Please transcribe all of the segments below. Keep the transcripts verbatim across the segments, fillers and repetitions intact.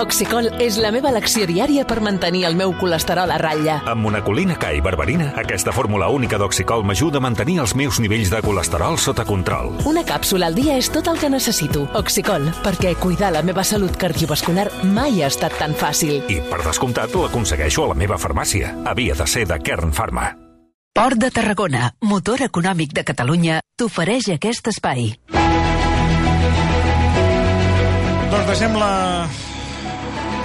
Oxicol és la meva elecció diària per mantenir el meu colesterol a ratlla. Amb monacolina K i berberina, aquesta fórmula única d'Oxicol m'ajuda a mantenir els meus nivells de colesterol sota control. Una càpsula al dia és tot el que necessito. Oxicol, perquè cuidar la meva salut cardiovascular mai ha estat tan fàcil. I, per descomptat, l'aconsegueixo a la meva farmàcia. Havia de ser de Kern Pharma. Port de Tarragona, motor econòmic de Catalunya, t'ofereix aquest espai. Doncs deixem la,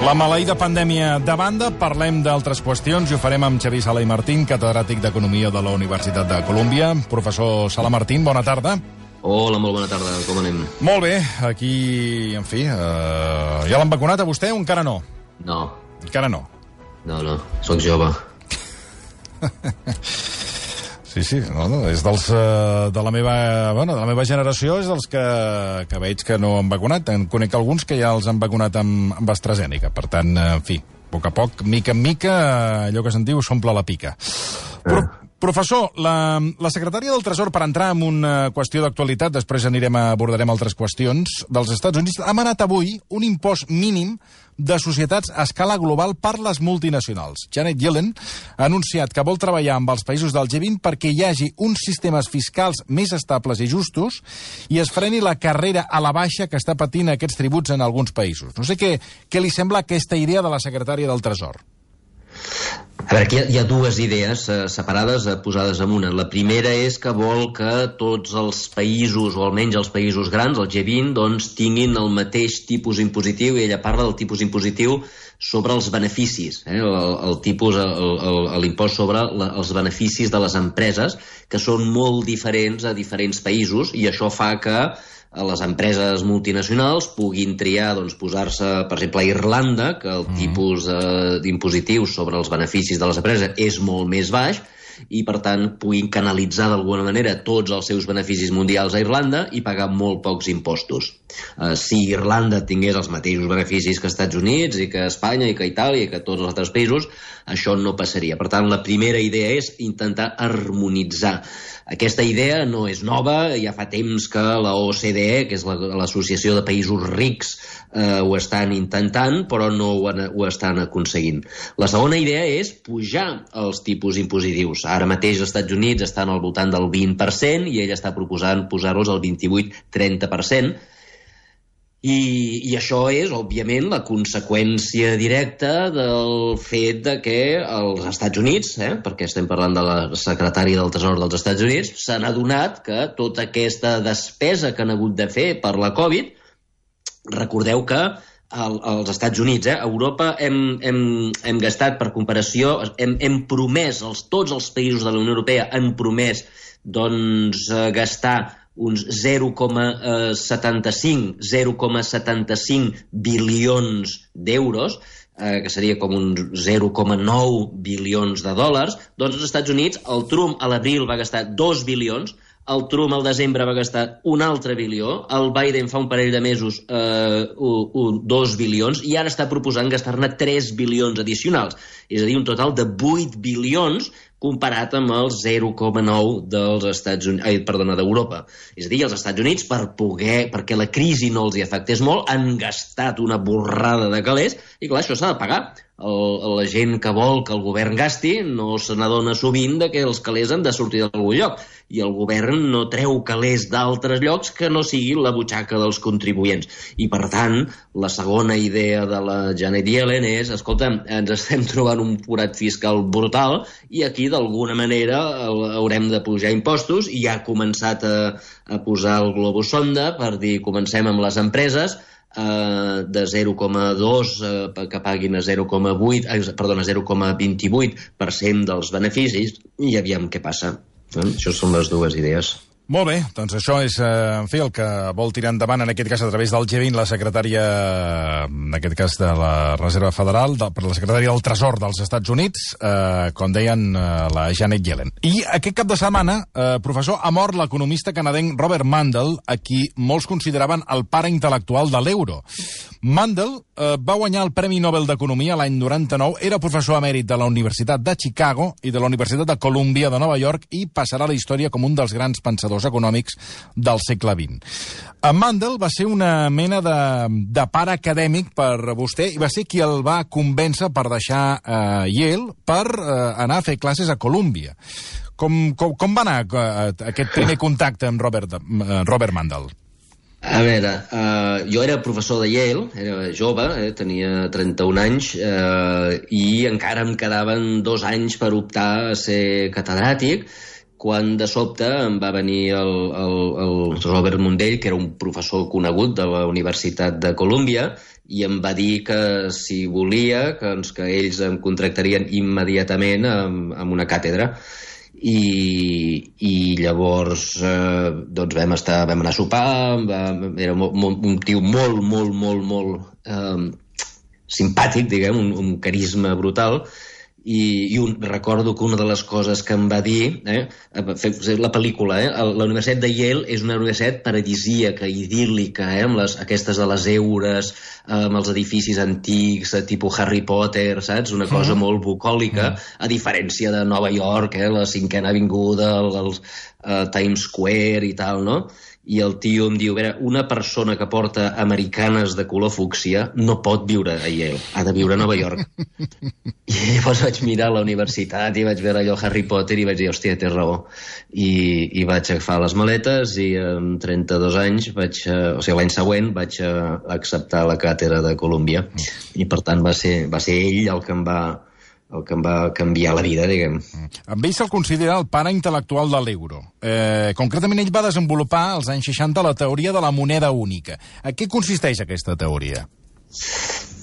la maleïda pandèmia de banda, parlem d'altres qüestions i ho farem amb Xavier Sala i Martín, catedràtic d'Economia de la Universitat de Colúmbia. Professor Sala Martín, bona tarda. Hola, molt bona tarda, com anem? Molt bé, aquí, en fi, eh, ja l'han vacunat a vostè o encara no? No. Encara no? No, no, soc jove. Sí, sí, no, no, és dels, uh, de, la meva, bueno, de la meva generació, és dels que, que veig que no han vacunat. En conec alguns que ja els han vacunat amb, amb AstraZeneca. Per tant, en fi, a poc a poc, mica en mica, allò que se'n diu s'omple la pica. Però, professor, la, la secretària del Tresor, per entrar en una qüestió d'actualitat, després anirem a, abordarem altres qüestions, dels Estats Units, ha manat avui un impost mínim de societats a escala global per les multinacionals. Janet Yellen ha anunciat que vol treballar amb els països del G vint perquè hi hagi uns sistemes fiscals més estables i justos i es freni la carrera a la baixa que està patint aquests tributs en alguns països. No sé què, què li sembla aquesta idea de la secretària del Tresor. A veure, aquí hi ha, hi ha dues idees eh, separades, eh, posades en una. La primera és que vol que tots els països, o almenys els països grans, el G vint, doncs, tinguin el mateix tipus impositiu, i ella parla del tipus impositiu sobre els beneficis, eh? el, el tipus, l'impost sobre la, els beneficis de les empreses, que són molt diferents a diferents països, i això fa que les empreses multinacionals puguin triar, doncs, posar-se, per exemple, a Irlanda, que el mm. tipus eh, d'impositiu sobre els beneficis de les empreses és molt més baix, i, per tant, puguin canalitzar d'alguna manera tots els seus beneficis mundials a Irlanda i pagar molt pocs impostos. Uh, si Irlanda tingués els mateixos beneficis que Estats Units i que Espanya i que Itàlia i que tots els altres països, això no passaria. Per tant, la primera idea és intentar harmonitzar. Aquesta idea no és nova, ja fa temps que la O C D E, que és l'Associació de Països Rics, eh, ho estan intentant, però no ho, han, ho estan aconseguint. La segona idea és pujar els tipus impositius. Ara mateix els Estats Units estan al voltant del vint per cent i ell està proposant posar-los al vint-i-vuit a trenta per cent. I, I això és, òbviament, la conseqüència directa del fet de que els Estats Units, eh, perquè estem parlant de la secretària del Tresor dels Estats Units, s'han adonat que tota aquesta despesa que han hagut de fer per la Covid, recordeu que el, als Estats Units, eh, a Europa hem, hem, hem gastat, per comparació, hem, hem promès, els, tots els països de la Unió Europea han promès doncs, eh, gastar uns zero coma setanta-cinc bilions d'euros, eh, que seria com uns zero coma nou bilions de dòlars, doncs als Estats Units el Trump a l'abril va gastar dos bilions, el Trump al desembre va gastar un altre bilió, el Biden fa un parell de mesos eh, un, un, dos bilions, i ara està proposant gastar-ne tres bilions addicionals. És a dir, un total de vuit bilions comparat amb el zero coma nou dels Estats Units, ai, perdona, d'Europa. És a dir, els Estats Units, per poder, perquè la crisi no els hi afectés molt, han gastat una borrada de calés, i clar, això s'ha de pagar. El, la gent que vol que el govern gasti no se n'adona sovint de que els calés han de sortir d'algun lloc, i el govern no treu calés d'altres llocs que no sigui la butxaca dels contribuents. I, per tant, la segona idea de la Janet Yellen és, escolta, ens estem trobant un forat fiscal brutal i aquí, d'alguna manera, haurem de pujar impostos, i ja ha començat a, a posar el globus sonda per dir, comencem amb les empreses, Uh, de zero coma dos uh, que paguin a zero coma vuit, uh, perdona, zero coma vint-i-vuit per cent dels beneficis, i aviam què passa. Eh? Això són les dues idees. Molt bé, doncs això és, eh, en fi, el que vol tirar endavant, en aquest cas a través del G vint, la secretària, en aquest cas de la Reserva Federal, de, per la secretària del Tresor dels Estats Units, eh, com deien, eh, la Janet Yellen. I aquest cap de setmana, eh, professor, ha mort l'economista canadenc Robert Mundell, a qui molts consideraven el pare intel·lectual de l'euro. Mandel eh, va guanyar el Premi Nobel d'Economia l'any noranta-nou, era professor emèrit de la Universitat de Chicago i de la Universitat de Columbia de Nova York i passarà a la història com un dels grans pensadors econòmics del segle vint. En Mandel va ser una mena de, de pare acadèmic per vostè i va ser qui el va convèncer per deixar eh, Yale per eh, anar a fer classes a Columbia. Com, com, com va anar uh, aquest primer contacte amb Robert, uh, Robert Mandel? A veure, uh, jo era professor de Yale, era jove, eh, tenia trenta-un anys, uh, i encara em quedaven dos anys per optar a ser catedràtic, quan de sobte em va venir el, el, el Robert Mundell, que era un professor conegut de la Universitat de Columbia, i em va dir que si volia, que, doncs, que ells em contractarien immediatament amb, amb una càtedra. I, i llavors eh, doncs vam, estar, vam anar a sopar, va, era molt, molt, un tio molt, molt, molt, molt eh, simpàtic, diguem, un, un carisma brutal, i, i un, recordo que una de les coses que em va dir, eh, la pel·lícula, eh, la Universitat de Yale és una universitat paradisíaca, idíl·lica, eh, amb les, aquestes de les eures, eh, amb els edificis antics, eh, tipus Harry Potter, saps? Una cosa mm. molt bucòlica, mm. a diferència de Nova York, eh, la cinquena avinguda, el, el uh, Times Square i tal, no? I el tio em diu, a veure, una persona que porta americanes de color fúcsia no pot viure a Yale, ha de viure a Nova York. I llavors vaig mirar la universitat i vaig veure allò Harry Potter i vaig dir, hòstia, té raó. I, i vaig agafar les maletes i amb trenta-dos anys, vaig, o sigui, l'any següent vaig acceptar la càtedra de Columbia. I per tant va ser, va ser ell el que em va... el que em va canviar la vida, diguem. Amb ell se'l considera el pare intel·lectual de l'euro. Eh, concretament, ell va desenvolupar als anys seixanta la teoria de la moneda única. A què consisteix aquesta teoria?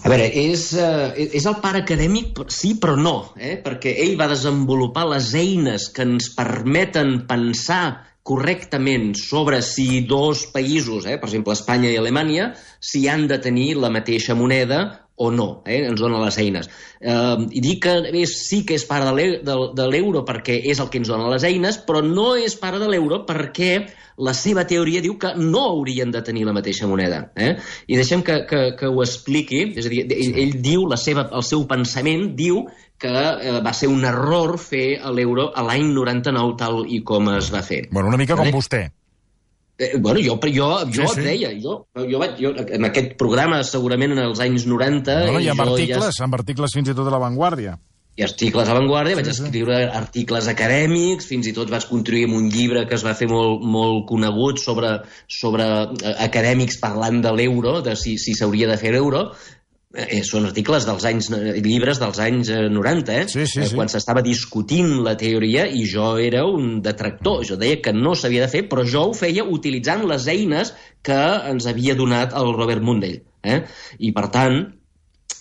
A veure, és, uh, és el pare acadèmic, sí, però no, eh? Perquè ell va desenvolupar les eines que ens permeten pensar correctament sobre si dos països, eh, per exemple Espanya i Alemanya, si han de tenir la mateixa moneda o no, eh? Ens dona les eines. Eh, I dic que és, sí que és pare de l'euro perquè és el que ens dona les eines, però no és pare de l'euro perquè la seva teoria diu que no haurien de tenir la mateixa moneda. Eh? I deixem que, que, que ho expliqui, és a dir, ell, ell diu, la seva, el seu pensament diu que eh, va ser un error fer l'euro a l'any noranta-nou tal i com es va fer. Bueno, una mica com eh? vostè. Eh, bueno, jo, jo, jo sí, sí. et deia, jo, jo, vaig, jo, en aquest programa, segurament en els anys noranta... No, no, hi ha articles, ja... amb articles fins i tot a La Vanguardia. Hi ha articles a Vanguardia, vaig sí, sí. escriure articles acadèmics, fins i tot vaig contribuir amb un llibre que es va fer molt, molt conegut sobre, sobre acadèmics parlant de l'euro, de si s'hauria si de fer l'euro. Eh, són articles dels anys, llibres dels anys noranta, eh? Sí, sí, sí. Quan s'estava discutint la teoria i jo era un detractor. Jo deia que no s'havia de fer, però jo ho feia utilitzant les eines que ens havia donat el Robert Mundell. Eh? I, per tant,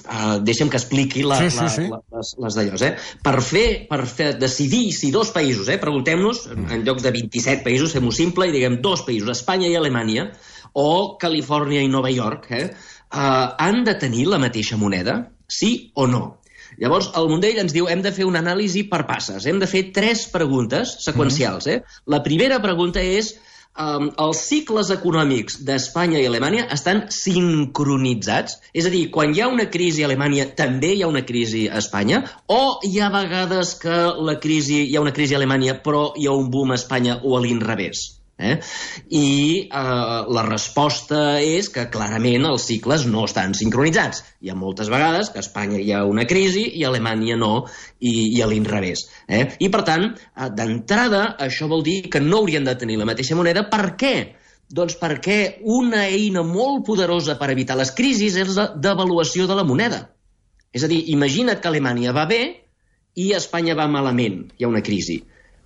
uh, deixa'm que expliqui la, sí, sí, sí. La, les, les d'allòs. Eh? Per, fer, per fer, decidir si dos països, eh, preguntem-nos, en llocs de vint-i-set països, fem-ho simple i diguem dos països, Espanya i Alemanya, o Califòrnia i Nova York, eh? Uh, han de tenir la mateixa moneda? Sí o no? Llavors, el Mundell ens diu hem de fer una anàlisi per passes. Hem de fer tres preguntes seqüencials. Eh? La primera pregunta és um, els cicles econòmics d'Espanya i Alemanya estan sincronitzats? És a dir, quan hi ha una crisi a Alemanya també hi ha una crisi a Espanya? O hi ha vegades que la crisi, hi ha una crisi a Alemanya però hi ha un boom a Espanya o a l'inrevés? Eh? I eh, la resposta és que clarament els cicles no estan sincronitzats. Hi ha moltes vegades que a Espanya hi ha una crisi i a Alemanya no, i, i a l'inrevés. Eh? I per tant, eh, d'entrada, això vol dir que no haurien de tenir la mateixa moneda. Per què? Doncs perquè una eina molt poderosa per evitar les crisis és la devaluació de la moneda. És a dir, imagina't que Alemanya va bé i Espanya va malament, hi ha una crisi.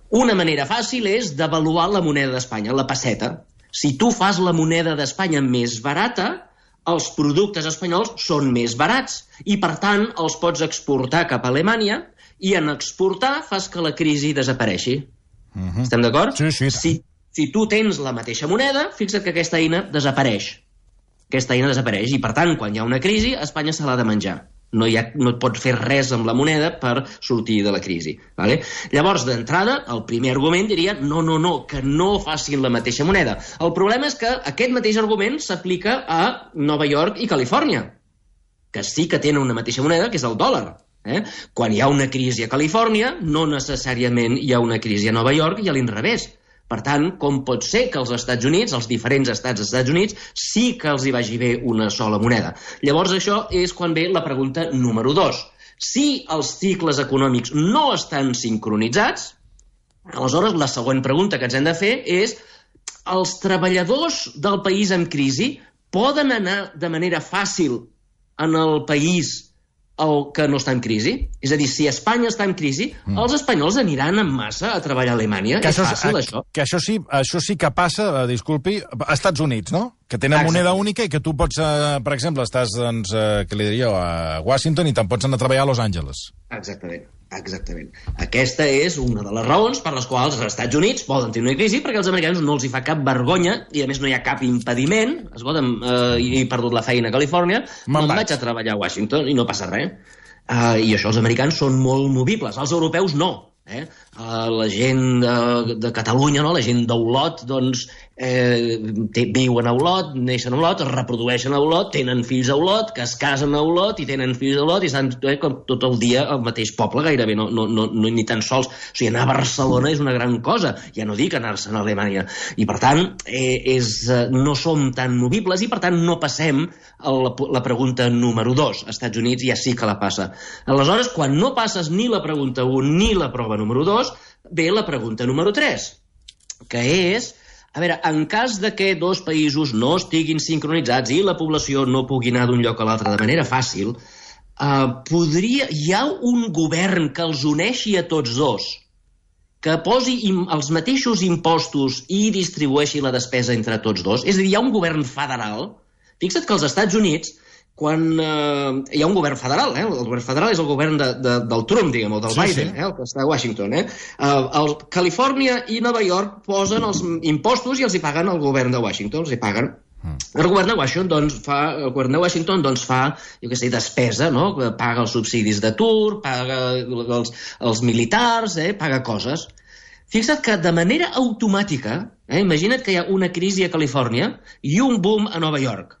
Una manera fàcil és devaluar la moneda d'Espanya, la pesseta. Si tu fas la moneda d'Espanya més barata, els productes espanyols són més barats i, per tant, els pots exportar cap a Alemanya i en exportar fas que la crisi desapareixi. Uh-huh. Estem d'acord? Sí, sí. Si, si tu tens la mateixa moneda, fixa't que aquesta eina desapareix. Aquesta eina desapareix i, per tant, quan hi ha una crisi, Espanya se l'ha de menjar. No, hi ha, no et pots fer res amb la moneda per sortir de la crisi. Vale? Llavors, d'entrada, el primer argument diria no, no, no, que no facin la mateixa moneda. El problema és que aquest mateix argument s'aplica a Nova York i Califòrnia, que sí que tenen una mateixa moneda, que és el dòlar. Eh? Quan hi ha una crisi a Califòrnia, no necessàriament hi ha una crisi a Nova York i a l'inrevés. Per tant, com pot ser que els Estats Units, els diferents estats dels Estats Units, sí que els hi vagi bé una sola moneda? Llavors, això és quan ve la pregunta número dos. Si els cicles econòmics no estan sincronitzats, aleshores la següent pregunta que ens hem de fer és els treballadors del país en crisi poden anar de manera fàcil en el país el que no està en crisi? És a dir, si Espanya està en crisi, mm. els espanyols aniran en massa a treballar a Alemanya. Que és això, fàcil, a, això. Que això sí, això sí que passa, eh, disculpi, a Estats Units, no? Que tenen Exacte. moneda única i que tu pots, eh, per exemple, estàs, doncs, eh, què li diria, a Washington i te'n pots anar a treballar a Los Angeles. Exactament. Exactament. Aquesta és una de les raons per les quals els Estats Units poden tenir una crisi, perquè als americans no els hi fa cap vergonya i, a més, no hi ha cap impediment. Escolta'm, eh, he perdut la feina a Califòrnia, me'n vaig a treballar a Washington i no passa res. Uh, I això els americans són molt movibles. Els europeus no. Eh? Uh, la gent de, de Catalunya, no? La gent d'Olot, doncs, eh, té, viuen a Olot, neixen a Olot, es reprodueixen a Olot, tenen fills a Olot, que es casen a Olot i tenen fills a Olot i estan eh, com tot el dia al mateix poble, gairebé, no, no, no, no ni tan sols. O sigui, anar a Barcelona és una gran cosa, ja no dic anar-se'n a Alemanya. I, per tant, eh, és, eh, no som tan movibles i, per tant, no passem a la, la pregunta número dos. Als Estats Units ja sí que la passa. Aleshores, quan no passes ni la pregunta un ni la prova número dos, ve la pregunta número tres, que és, a veure, en cas de que dos països no estiguin sincronitzats i la població no pugui anar d'un lloc a l'altre de manera fàcil, eh, podria, hi ha un govern que els uneixi a tots dos, que posi im, els mateixos impostos i distribueixi la despesa entre tots dos? És a dir, hi ha un govern federal. Fixa't que als Estats Units, quan eh, hi ha un govern federal, eh? El govern federal és el govern de, de, del Trump, diguem, o del sí, Biden, sí. Eh? El que està a Washington. Eh? Uh, el Califòrnia i Nova York posen els impostos i els hi paguen el govern de Washington, els hi paguen. Mm. El govern de Washington, doncs, fa, el govern de Washington doncs, fa, jo què sé, despesa, no? Paga els subsidis d'atur, paga els, els militars, eh? Paga coses. Fixa't que de manera automàtica, eh? Imagina't que hi ha una crisi a Califòrnia i un boom a Nova York.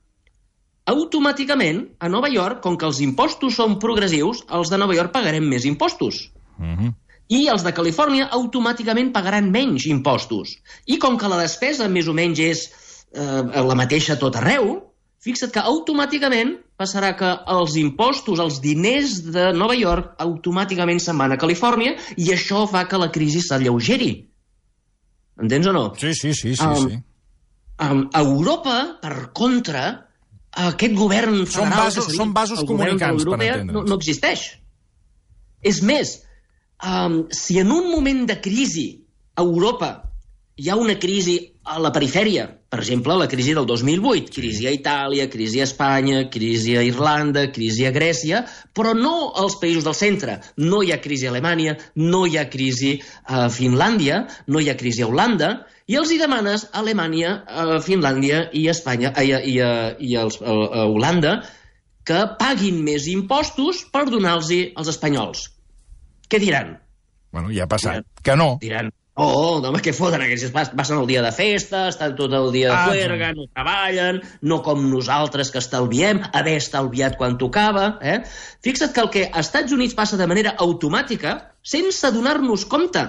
Automàticament, a Nova York, com que els impostos són progressius, els de Nova York pagarem més impostos. Uh-huh. I els de Califòrnia automàticament pagaran menys impostos. I com que la despesa més o menys és eh, la mateixa a tot arreu, fixa't que automàticament passarà que els impostos, els diners de Nova York, automàticament se'n van a Califòrnia i això fa que la crisi s'alleugeri. Entens o no? Sí, sí, sí, sí. Um, sí. Um, a Europa, per contra, aquest govern federal... Són vasos, seria, són vasos comunicants, per entendre'ns. No, no existeix. És més, um, si en un moment de crisi a Europa hi ha una crisi a la perifèria, per exemple, la crisi del dos mil vuit, crisi a Itàlia, crisi a Espanya, crisi a Irlanda, crisi a Grècia, però no als països del centre. No hi ha crisi a Alemanya, no hi ha crisi a Finlàndia, no hi ha crisi a Holanda, i els hi demanes a Alemanya, a Finlàndia i a Espanya i a, i a, i a, a Holanda que paguin més impostos per donar-los als espanyols. Què diran? Bueno, ja ha passat. Diran, que no. Diran, oh, home, què foten aquests? Passen el dia de festa, estan tot el dia de ah, juerga, no treballen, no com nosaltres que estalviem, haver estalviat quan tocava. Eh? Fixa't que el que als Estats Units passa de manera automàtica, sense donar-nos compte.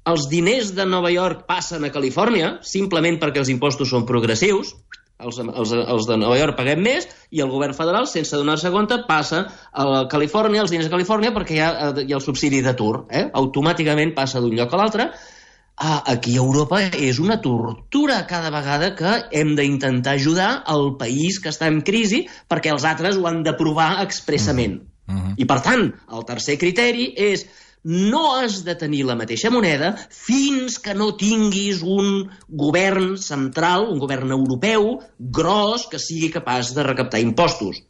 Els diners de Nova York passen a Califòrnia, simplement perquè els impostos són progressius, els, els, els de Nova York paguem més, i el govern federal, sense donar-se compte, passa a Califòrnia, els diners a Califòrnia, perquè hi ha, hi ha el subsidi d'atur. Eh? Automàticament passa d'un lloc a l'altre. Ah, aquí a Europa és una tortura cada vegada que hem d'intentar ajudar el país que està en crisi perquè els altres ho han d'aprovar expressament. Uh-huh. I, per tant, el tercer criteri és no has de tenir la mateixa moneda fins que no tinguis un govern central, un govern europeu, gros, que sigui capaç de recaptar impostos.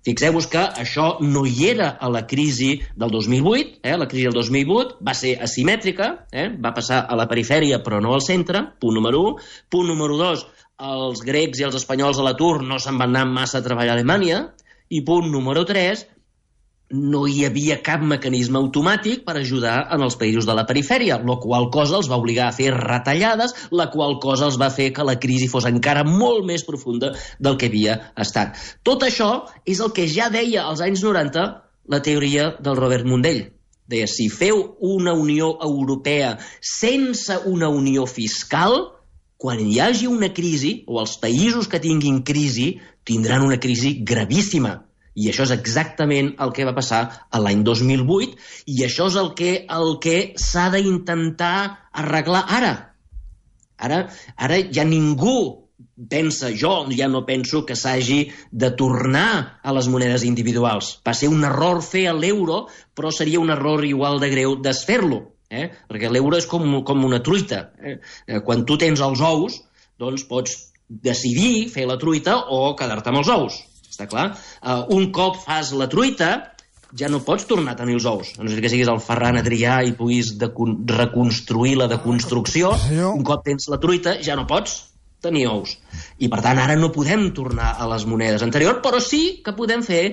Fixeu-vos que això no hi era a la crisi del dos mil vuit, eh? La crisi del dos mil vuit va ser asimètrica, eh? Va passar a la perifèria però no al centre, punt número un. Punt número dos, els grecs i els espanyols a l'atur no se'n van anar massa a treballar a Alemanya, i punt número tres, no hi havia cap mecanisme automàtic per ajudar en els països de la perifèria, la qual cosa els va obligar a fer retallades, la qual cosa els va fer que la crisi fos encara molt més profunda del que havia estat. Tot això és el que ja deia als anys noranta la teoria del Robert Mundell. Deia, si feu una Unió Europea sense una unió fiscal, quan hi hagi una crisi, o els països que tinguin crisi, tindran una crisi gravíssima. I això és exactament el que va passar l'any dos mil vuit, i això és el que, el que s'ha d'intentar arreglar ara. Ara. Ara ja ningú pensa, jo ja no penso que s'hagi de tornar a les monedes individuals. Va ser un error fer l'euro, però seria un error igual de greu desfer-lo, eh? Perquè l'euro és com, com una truita. Eh? Quan tu tens els ous, doncs pots decidir fer la truita o quedar-te amb els ous. Està clar? Uh, un cop fas la truita, ja no pots tornar a tenir els ous. A no ser que siguis el Ferran Adrià i puguis reconstruir la deconstrucció. Un cop tens la truita, ja no pots tenir ous. I, per tant, ara no podem tornar a les monedes anteriors, però sí que podem fer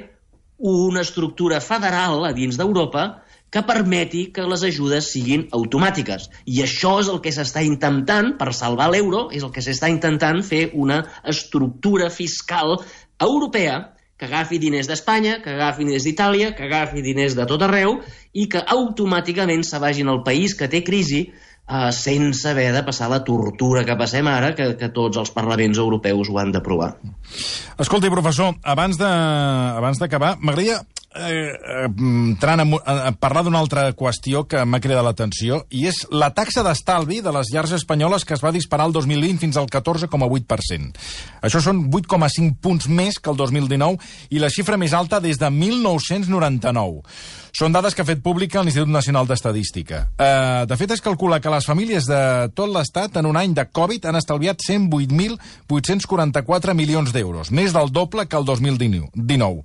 una estructura federal a dins d'Europa que permeti que les ajudes siguin automàtiques. I això és el que s'està intentant, per salvar l'euro, és el que s'està intentant fer una estructura fiscal europea que agafi diners d'Espanya, que agafi diners d'Itàlia, que agafi diners de tot arreu i que automàticament se vagin al país que té crisi eh, sense haver de passar la tortura que passem ara, que, que tots els parlaments europeus ho han d'aprovar. Escolti, professor, abans de, abans d'acabar, m'agradaria eh, entrant a, a parlar d'una altra qüestió que m'ha cridat l'atenció, i és la taxa d'estalvi de les llars espanyoles que es va disparar el dos mil vint fins al catorze coma vuit per cent. Això són vuit coma cinc punts més que el dos mil dinou i la xifra més alta des de mil nou-cents noranta-nou. Són dades que ha fet pública l'Institut Nacional d'Estadística. Eh, de fet, es calcula que les famílies de tot l'Estat en un any de Covid han estalviat cent vuit mil vuit-cents quaranta-quatre milions d'euros, més del doble que el dos mil dinou.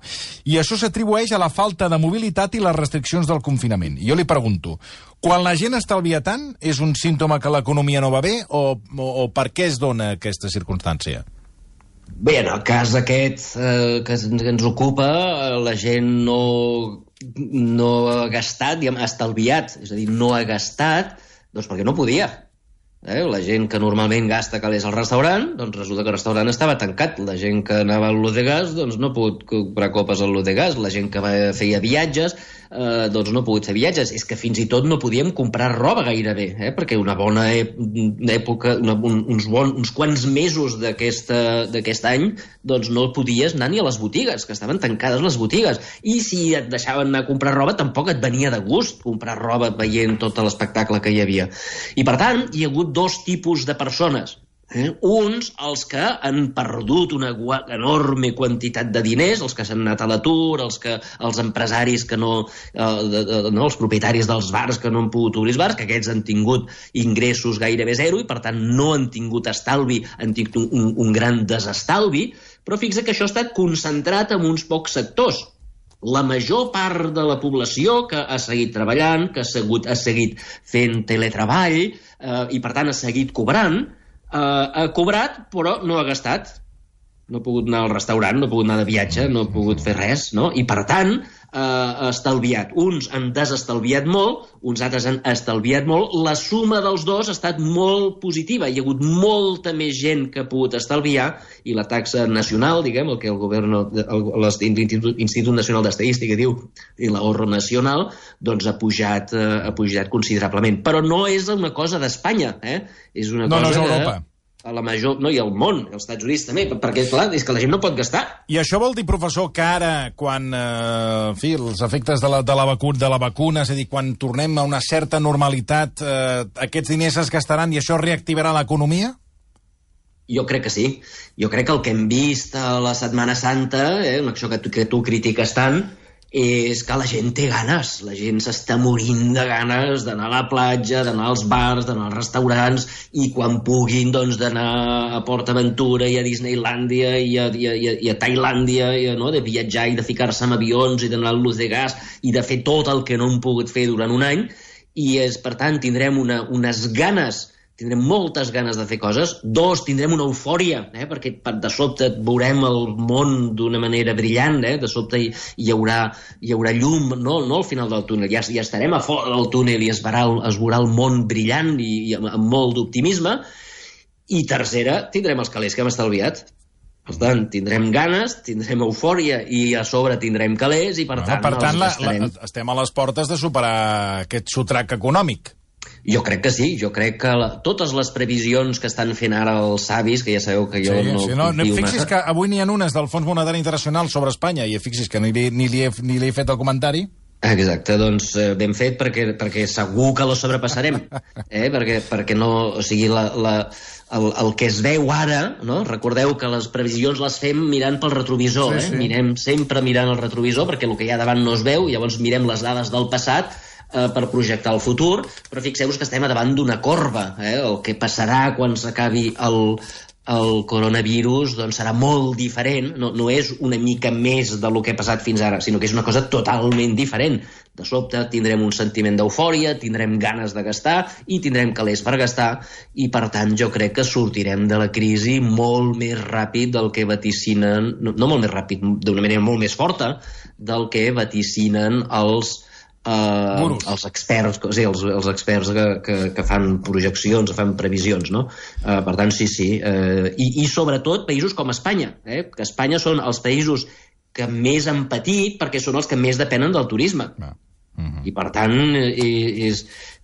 I això s'atribueix a la falta de mobilitat i les restriccions del confinament. I jo li pregunto, quan la gent estalvia tant, és un símptoma que l'economia no va bé o, o, o per què es dona aquesta circumstància? Bé, en el cas aquest eh, que ens ocupa, la gent no, no ha gastat, diguem, ha estalviat, és a dir, no ha gastat, doncs perquè no podia. Eh? La gent que normalment gasta calés al restaurant, doncs resulta que el restaurant estava tancat. La gent que anava al Lodegas, doncs no ha pogut comprar copes al Lodegas. La gent que va, feia viatges, eh, doncs no ha pogut fer viatges. És que fins i tot no podíem comprar roba gairebé, eh? Perquè una bona època, una, un, uns, bon, uns quants mesos d'aquest any, doncs no podies anar ni a les botigues, que estaven tancades les botigues. I si et deixaven anar a comprar roba, tampoc et venia de gust comprar roba veient tot l'espectacle que hi havia. I per tant, hi ha hagut dos tipus de persones. Eh? Uns, els que han perdut una enorme quantitat de diners, els que s'han anat a l'atur, els, que, els empresaris que no, eh, de, de, no, els propietaris dels bars que no han pogut obrir els bars, que aquests han tingut ingressos gairebé zero i per tant no han tingut estalvi, han tingut un, un gran desestalvi, però fixa que això ha estat concentrat en uns pocs sectors. La major part de la població que ha seguit treballant, que ha seguit, ha seguit fent teletreball eh, i per tant ha seguit cobrant, eh, ha cobrat però no ha gastat. No ha pogut anar al restaurant, no ha pogut anar de viatge, no ha pogut fer res, no? I per tant eh, ha estalviat. Uns han desestalviat molt, uns altres han estalviat molt. La suma dels dos ha estat molt positiva. Hi ha hagut molta més gent que ha pogut estalviar i la taxa nacional, diguem, el que el govern, l'Institut Nacional d'Estadística diu, i l'ahorro nacional, doncs ha pujat, eh, ha pujat considerablement. Però no és una cosa d'Espanya, eh? És una no, cosa no és Europa. De... a la major, no, i al món, als Estats Units també, perquè, clar, és que la gent no pot gastar. I això vol dir, professor, que ara, quan, eh, en fi, els efectes de la, de, la vacuna, de la vacuna, és a dir, quan tornem a una certa normalitat, eh, aquests diners es gastaran i això reactivarà l'economia? Jo crec que sí. Jo crec que el que hem vist a la Setmana Santa, eh, això que tu, que tu critiques tant, és que la gent té ganes, la gent s'està morint de ganes d'anar a la platja, d'anar als bars, d'anar als restaurants i quan puguin doncs d'anar a PortAventura i a Disneylàndia i a, i a, i a Tailàndia, i, no? De viatjar i de ficar-se en avions i d'anar al Lodegas i de fer tot el que no hem pogut fer durant un any i és, per tant tindrem una, unes ganes tindrem moltes ganes de fer coses. Dos, tindrem una eufòria, eh? perquè de sobte veurem el món d'una manera brillant, eh? de sobte hi, hi, haurà, hi haurà llum, no, no al final del túnel, ja, ja estarem a fora del túnel i es veurà el, es veurà el món brillant i, i amb, amb molt d'optimisme. I tercera, tindrem els calés que hem estalviat. Per tant, tindrem ganes, tindrem eufòria i a sobre tindrem calés i per bueno, tant... Per tant, la, estarem... la, estem a les portes de superar aquest sotrac econòmic. Jo crec que sí, jo crec que la, totes les previsions que estan fent ara els savis, que ja sabeu que jo sí, no... Sí, no, no fixis massa. que avui n'hi ha unes del Fons Monetari Internacional sobre Espanya i fixis que ni li, ni li, he, ni li he fet el comentari. Exacte, doncs eh, ben fet perquè, perquè segur que lo sobrepassarem, eh? perquè, perquè no, o sigui, la, la, el, el que es veu ara, no? Recordeu que les previsions les fem mirant pel retrovisor, sí, eh? sí. Mirem sempre mirant el retrovisor perquè el que hi ha davant no es veu, llavors mirem les dades del passat eh, per projectar el futur, però fixeu-vos que estem davant d'una corba, eh? El que passarà quan s'acabi el... el coronavirus doncs, serà molt diferent, no, no és una mica més del que ha passat fins ara, sinó que és una cosa totalment diferent. De sobte tindrem un sentiment d'eufòria, tindrem ganes de gastar i tindrem calés per gastar i, per tant, jo crec que sortirem de la crisi molt més ràpid del que vaticinen, no, no molt més ràpid, d'una manera molt més forta del que vaticinen els Uh, els experts, sí, els, els experts que, que, que fan projeccions, que fan previsions, no? Uh, per tant, sí, sí. Uh, i, I sobretot països com Espanya, eh? Que Espanya són els països que més han patit perquè són els que més depenen del turisme. Ah. Uh-huh. I per tant, és,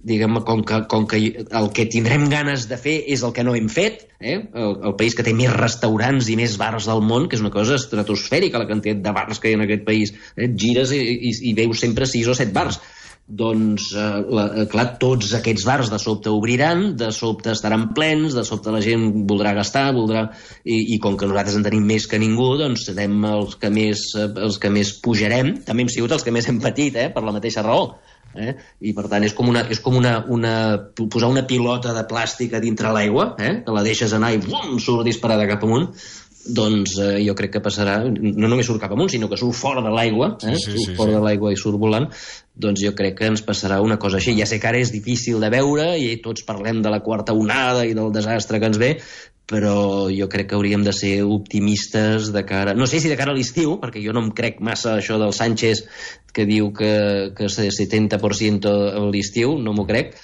diguem, com que, com que el que tindrem ganes de fer és el que no hem fet, eh? el, el país que té més restaurants i més bars del món, que és una cosa estratosfèrica la quantitat de bars que hi ha en aquest país, eh? Gires i, i, i veus sempre sis o set bars. Doncs, eh, la, clar, tots aquests bars de sobte obriran, de sobte estaran plens, de sobte la gent voldrà gastar, voldrà... I, i com que nosaltres en tenim més que ningú, doncs serem els que més, els que més pujarem. També hem sigut els que més hem patit, eh, per la mateixa raó. Eh? I per tant és com, una, és com una, una, posar una pilota de plàstic a dintre l'aigua, eh? Que la deixes anar i bum, surt disparada cap amunt. Doncs eh, jo crec que passarà, no només surt cap amunt, sinó que surt fora de l'aigua, eh? sí, sí, surt sí, fora sí. de l'aigua i surt volant, doncs jo crec que ens passarà una cosa així. Ja sé que ara és difícil de veure i tots parlem de la quarta onada i del desastre que ens ve, però jo crec que hauríem de ser optimistes de cara... No sé si de cara a l'estiu, perquè jo no em crec massa això del Sánchez que diu que, que setanta per cent a l'estiu, no m'ho crec,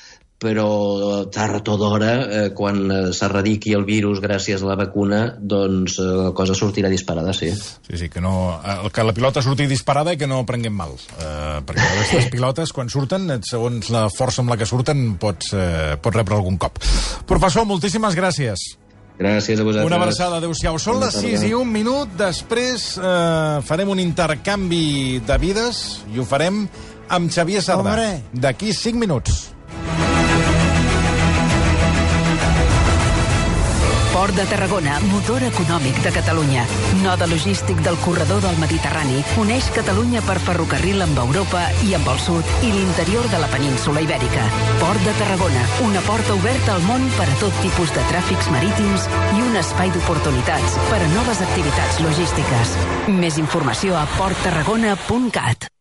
però tard o d'hora, eh, quan s'erradiqui el virus gràcies a la vacuna, doncs eh, la cosa sortirà disparada, sí. Sí, sí, que, no, que la pilota surti disparada i que no prenguem mal. Eh, perquè aquestes pilotes, quan surten, segons la força amb la que surten, pots, eh, pots rebre algun cop. Professor, moltíssimes gràcies. Gràcies a vosaltres. Una abraçada, adéu-siau. Són les sis i un minut, després eh, farem un intercanvi de vides i ho farem amb Xavier Sardà. D'aquí cinc minuts. Port de Tarragona, motor econòmic de Catalunya. Node logístic del corredor del Mediterrani. Uneix Catalunya per ferrocarril amb Europa i amb el sud i l'interior de la península Ibèrica. Port de Tarragona, una porta oberta al món per a tot tipus de tràfics marítims i un espai d'oportunitats per a noves activitats logístiques. Més informació a port tarragona punt cat.